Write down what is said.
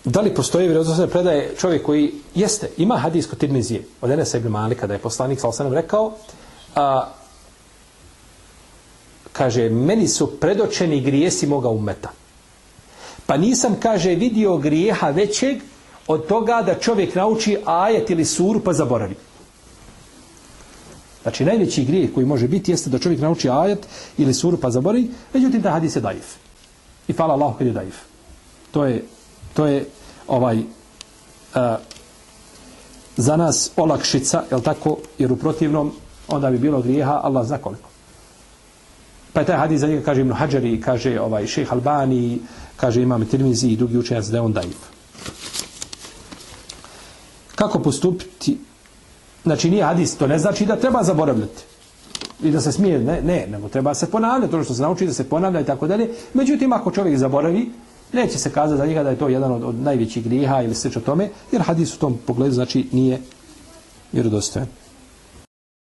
Da li postoji vjerodostojne predaje čovjek koji jeste, ima hadis kod Tirmizije od Enesa ibn Malika da je poslanik sallallahu alejhi ve sellem rekao kaže, meni su predočeni grijesi moga ummeta. Pa nisam, kaže, vidio grijeha većeg od toga da čovjek nauči ajet ili suru pa zaboravi. Znači, najveći grijeh koji može biti jeste da čovjek nauči ajet ili suru pa zaboravi, međutim, ta hadis je daif. I hvala Allahu kad je daif. To je za nas olakšica, jel tako? Jer u protivnom onda bi bilo grijeha, Allah zna koliko. Pa je taj hadis za njega, kaže Ibn Hadžari, kaže šejh Albani, kaže imam Tirmizi i drugi učenjaci da je on daif. Kako postupiti? Znači nije hadis, to ne znači da treba zaboravljati. I da se smije, ne, nego treba se ponavljati, ono što se nauči da se ponavlja i tako dalje. Međutim, ako čovjek zaboravi, neće se kazati za njega da je to jedan od najvećih grijeha ili slično tome, jer hadis u tom pogledu znači nije vjerodostojan.